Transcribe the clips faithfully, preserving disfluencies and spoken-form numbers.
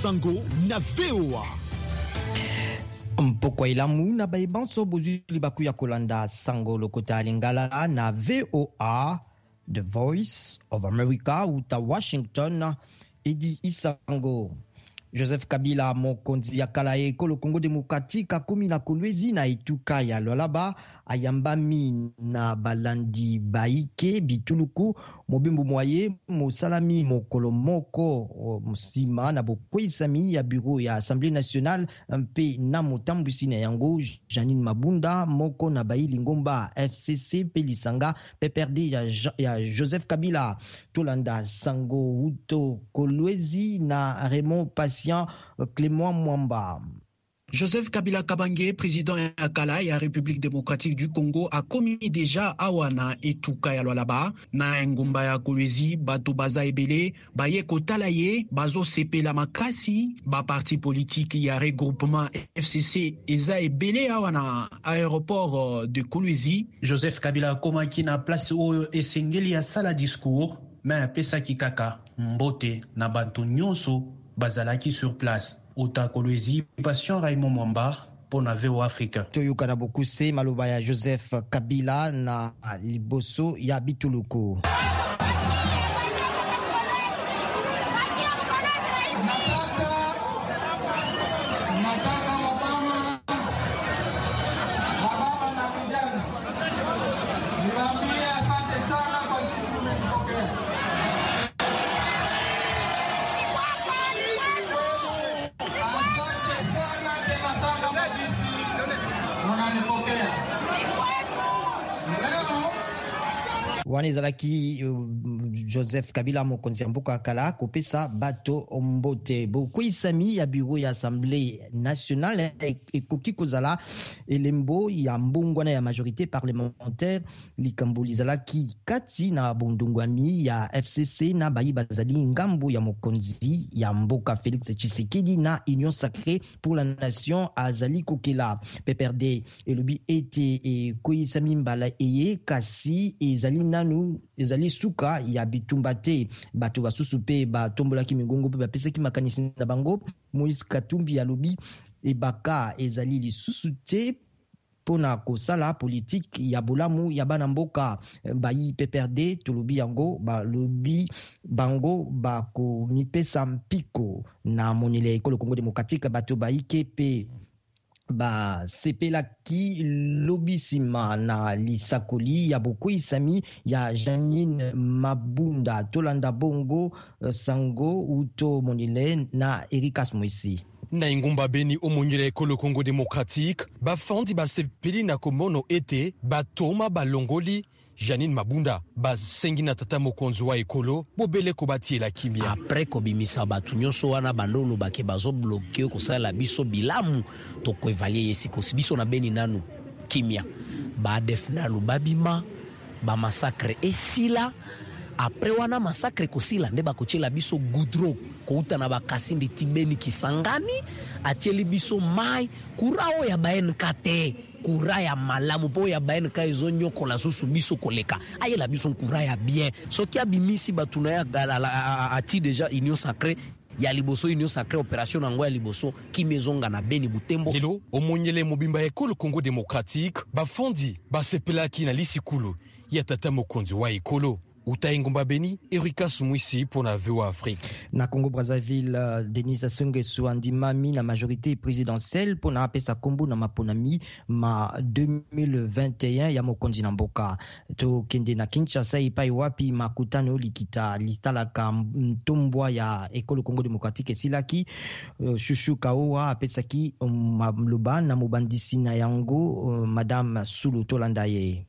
Sango na V O A. Mpokwa elamu na baye banso bozwi libaku ya kolanda sango lokota ya Lingala na V O A, The Voice of America, uta Washington, Edi Isango. Joseph Kabila, mokonzi ya kala ya ekolo Congo démocratique, akomi na Kolwezi na etuka ya Lualaba, ayambami na balandi baike bituluku mobembo mwaye mosalami mokolo moko nsima na bokweyisami ya bureau ya Assemblée nationale mpe na motambwisi na yango Janine Mabunda, moko na bayi lingomba F C C mpe lisanga P P R D ya, ya Joseph Kabila. Tolanda sango uto Kolwezi na Raymond Patient Clément Mwamba. Joseph Kabila Kabange, président ya kala ya République démocratique du Congo, akomi déjà awa na etuka ya Lualaba na engumba ya Kolwezi. Bato baza ebele baye kotala ye, bazosepela makasi. Ba parti politique ya regroupement F C C eza ebele awa na aéroport de Kolwezi. Joseph Kabila akomaki na place oyo esengeli ya sala discours, mais apesaki kaka mbote na bantu nyonso bazalaki sur place. Ota Kolwezi, Patient Raymond Mwamba pour na V O Afrique. Toyoka na bokuse maloba ya Joseph Kabila na liboso ya bituluku. Wana ezalaki Joseph Kabila mokonzi ya mboka kala kopesa bato mbote. Bokweyisami ya bureau ya Assemblée nationale ekoki kozala elembo ya mbongwana ya majorité parlementaire. Likambo lizalaki kati na bondongwami ya F C C na bayi bazali ngambo ya mokonzi ya mboka Félix Tshisekedi na Union Sacrée pour la Nation azali kokela. P P R D elobi ete ekweyisami mbala eye kasi ezali nanu ezali suka ya bitumba te. Bato basusu mpe batombolaki mingongo mpe bapesaki makanisi na bango. Moïse Katumbi alobi ebaka ezali lisusu te mpona kosala politike ya bolamu ya bana mboka. Bayi P P R D tolobi yango balobi bango bakomipesa mpiko na monele ya ekolo Congo démocratique. Bato bayike mpe basepelaki lobi nsima na lisakoli ya bokweyisami ya Janine Mabunda. Tolanda bongo sango uto monile na Erikas Moisi. Na engumba Beni omonyela ekolo Congo démocratique, bafandi basepeli na komono ete batoma balongoli Janine Mabunda basengi na tata mokonzi wa ekolo bobele kobatiela kimia. Après kobimisa bato nyonso wana bandolo bake bazobloke kosala biso bilamu, tokoevaluer ye sikosi biso na Beni nanu kimia. Ba def nanu babima, ba massacre esila. Après wana massacre kosila nde bakotiela biso goudron kouta na bakasindi ti Beni Kisangani, atieli biso mai kura oyo ya ba N K T, kura ya malamu po ya ba N K ezonyokola susu biso koleka. Ayela biso kura ya bien. Soki abimisi bato na ya ati déjà Union Sacrée ya liboso, Union Sacrée opération nango ya liboso kimezonga na Beni Butembo. Lelo omonyele mobimba ekolo Congo démocratique bafondi basepelaki na lisikulu ya tata mokonzi wa ekolo. Uta engumba Beni, Erika Sumwisi pour la V O A Afrique. Na Congo Brazzaville, Denis Sassou Nguesso andimami na majorité présidentielle pour na apesa kombo na maponami ma deux mille vingt et un ya mokonzi na mboka. Tokende na Kinshasa epai wapi makutano likita litalaka ntombwa ya ekolo Congo démocratique esilaki. Chuchu Kaowa apesaki maloba na mobandisi na yango Madame Sulu. Tolanda ye.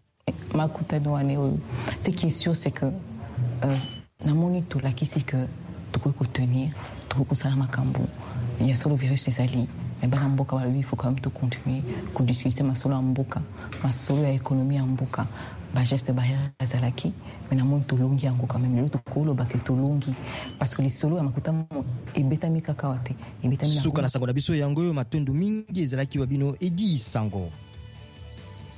Makutano wana oyo, ce qui est sûr, c'est que euh, namoni tolakisi que tokoki kotenir, tokoki kosala makambo ya solo virus ezali, mais bana mboka balobi il faut quand même tocontinuer kodiscute masolo ya mboka, masolo ya économie ya mboka. Ba geste barrière ezalaki, mais namoni tolongi yango quand même. Lelo tokolobaka tolongi parce que lisolo ya makuta ebetami kaka wa te, ebetami na Suka na sango na biso yango oyo, matondo mingi ezalaki wa bino Edi Sango.